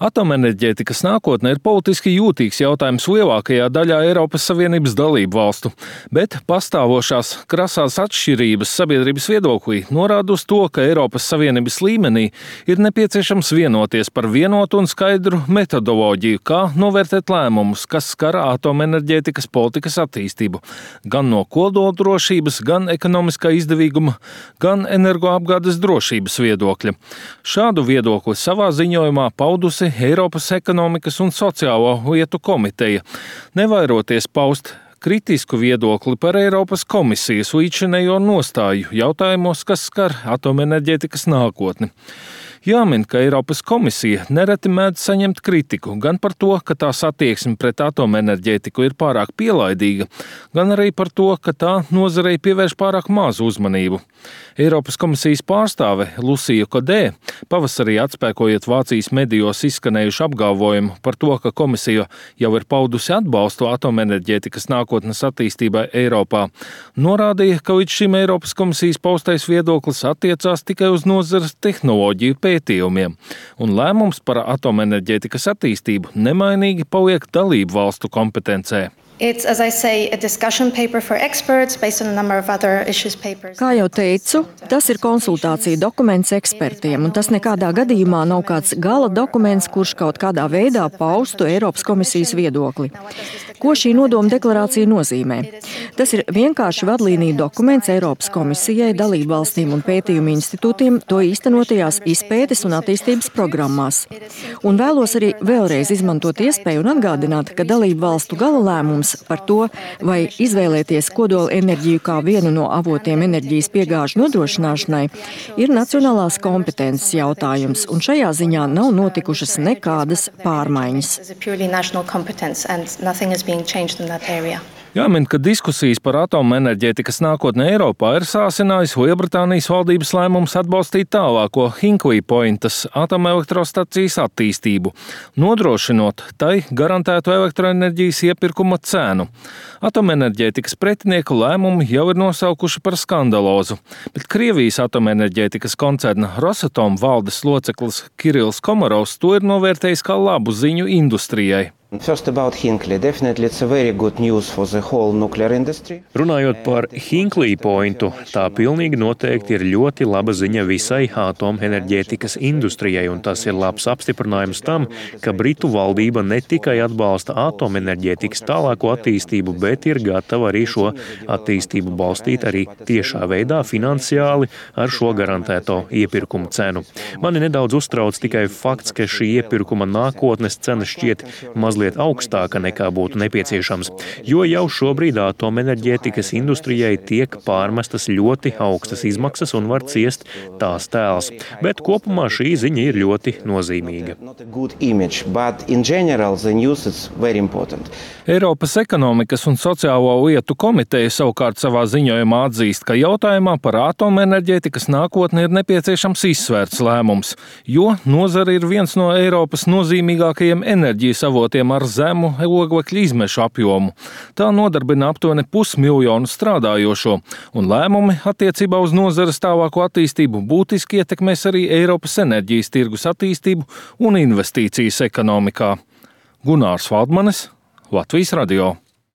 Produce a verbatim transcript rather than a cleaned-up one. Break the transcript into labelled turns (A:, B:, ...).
A: Atomenerģētikas nākotne ir politiski jūtīgs jautājums lielākajā daļā Eiropas Savienības dalību valstu, bet pastāvošās krasās atšķirības sabiedrības viedoklī norāda uz to, ka Eiropas Savienības līmenī ir nepieciešams vienoties par vienotu un skaidru metodoloģiju, kā novērtēt lēmumus, kas skar atomenerģētikas politikas attīstību, gan no kodoldrošības, gan ekonomiskā izdevīguma, gan energoapgādes drošības viedokļa. Šādu viedokli savā ziņojumā paudusi Eiropas ekonomikas un sociālo lietu komiteja, nevairoties paust kritisku viedokli par Eiropas komisijas līdzinējo nostāju jautājumos, kas skar atomenerģētikas nākotni. Jāmin, ka Eiropas komisija nereti mēdz saņemt kritiku gan par to, ka tās attieksme pret atomenerģētiku ir pārāk pielaidīga, gan arī par to, ka tā nozarei pievērš pārāk mazu uzmanību. Eiropas komisijas pārstāve Lucija Kodē, pavasarī atspēkojot Vācijas medijos izskanējušu apgalvojumu par to, ka komisija jau ir paudusi atbalstu atomenerģētikas nākotnes attīstībai Eiropā, norādīja, ka līdz šim Eiropas komisijas paustais viedoklis attiecās tikai uz nozares tehnoloģiju pētījumiem, un lēmums par atomenerģētikas attīstību nemainīgi paliek dalību valstu kompetencē.
B: It's, as I say, a discussion paper for experts based on a number of other issues papers.
C: Kā jau teicu, tas ir konsultācija dokuments ekspertiem, un tas nekādā gadījumā nav kāds gala dokuments, kurš kaut kādā veidā paustu Eiropas komisijas viedokli. Ko šī nodoma deklarācija nozīmē? Tas ir vienkārši vadlīnija dokuments Eiropas komisijai, dalību valstīm un pētījumu institūtiem to īstenotajās izpētes un attīstības programmās. Un vēlos arī vēlreiz izmantot iespēju un atgādināt, ka dalību valstu gala lēmums par to, vai izvēlēties kodola enerģiju kā vienu no avotiem enerģijas piegāžu nodrošināšanai, ir nacionālās kompetences jautājums, un šajā ziņā nav notikušas nekādas pārmaiņas.
A: Jāmin, ka diskusijas par atomenerģētikas nākotni Eiropā ir sācinājis Lielbritānijas valdības lēmums atbalstīt tālāko Hinkley Pointas atomelektrostacijas attīstību, nodrošinot tai garantētu elektroenerģijas iepirkuma cenu. Atomenerģētikas pretinieku lēmumi jau ir nosaukuši par skandalozu, bet Krievijas atomenerģētikas koncerna Rosatom valdes loceklis Kirills Komarovs to ir novērtējis kā labu ziņu industrijai.
D: First about Hinkley. Definitely it's a very good news for the whole nuclear industry.
E: Runājot par Hinkley Pointu, tā pilnīgi noteikti ir ļoti laba ziņa visai atomenerģētikas industrijai, un tas ir labs apstiprinājums tam, ka Britu valdība ne tikai atbalsta atomenerģētikas tālāko attīstību, bet ir gatava arī šo attīstību balstīt arī tiešā veidā finansiāli ar šo garantēto iepirkuma cenu. Mani nedaudz uztrauc tikai fakts, ka šī iepirkuma nākotnes cena šķiet mazliet augstāka nekā būtu nepieciešams, jo jau šobrīd atomenerģētikas industrijai tiek pārmestas ļoti augstas izmaksas un var ciest tās tēls. Bet kopumā šī ziņa ir ļoti nozīmīga.
A: Eiropas ekonomikas un sociālo lietu komiteja savukārt savā ziņojumā atzīst, ka jautājumā par atomenerģētikas nākotni ir nepieciešams izsvērts lēmums, jo nozara ir viens no Eiropas nozīmīgākajiem enerģijas avotiem ar zemu oglekļa izmešu apjomu. Tā nodarbina aptuveni pusmiljonu strādājošo, un lēmumi attiecībā uz nozares tālāko attīstību būtiski ietekmēs arī Eiropas enerģijas tirgus attīstību un investīcijas ekonomikā. Gunārs Valdmanis, Latvijas radio.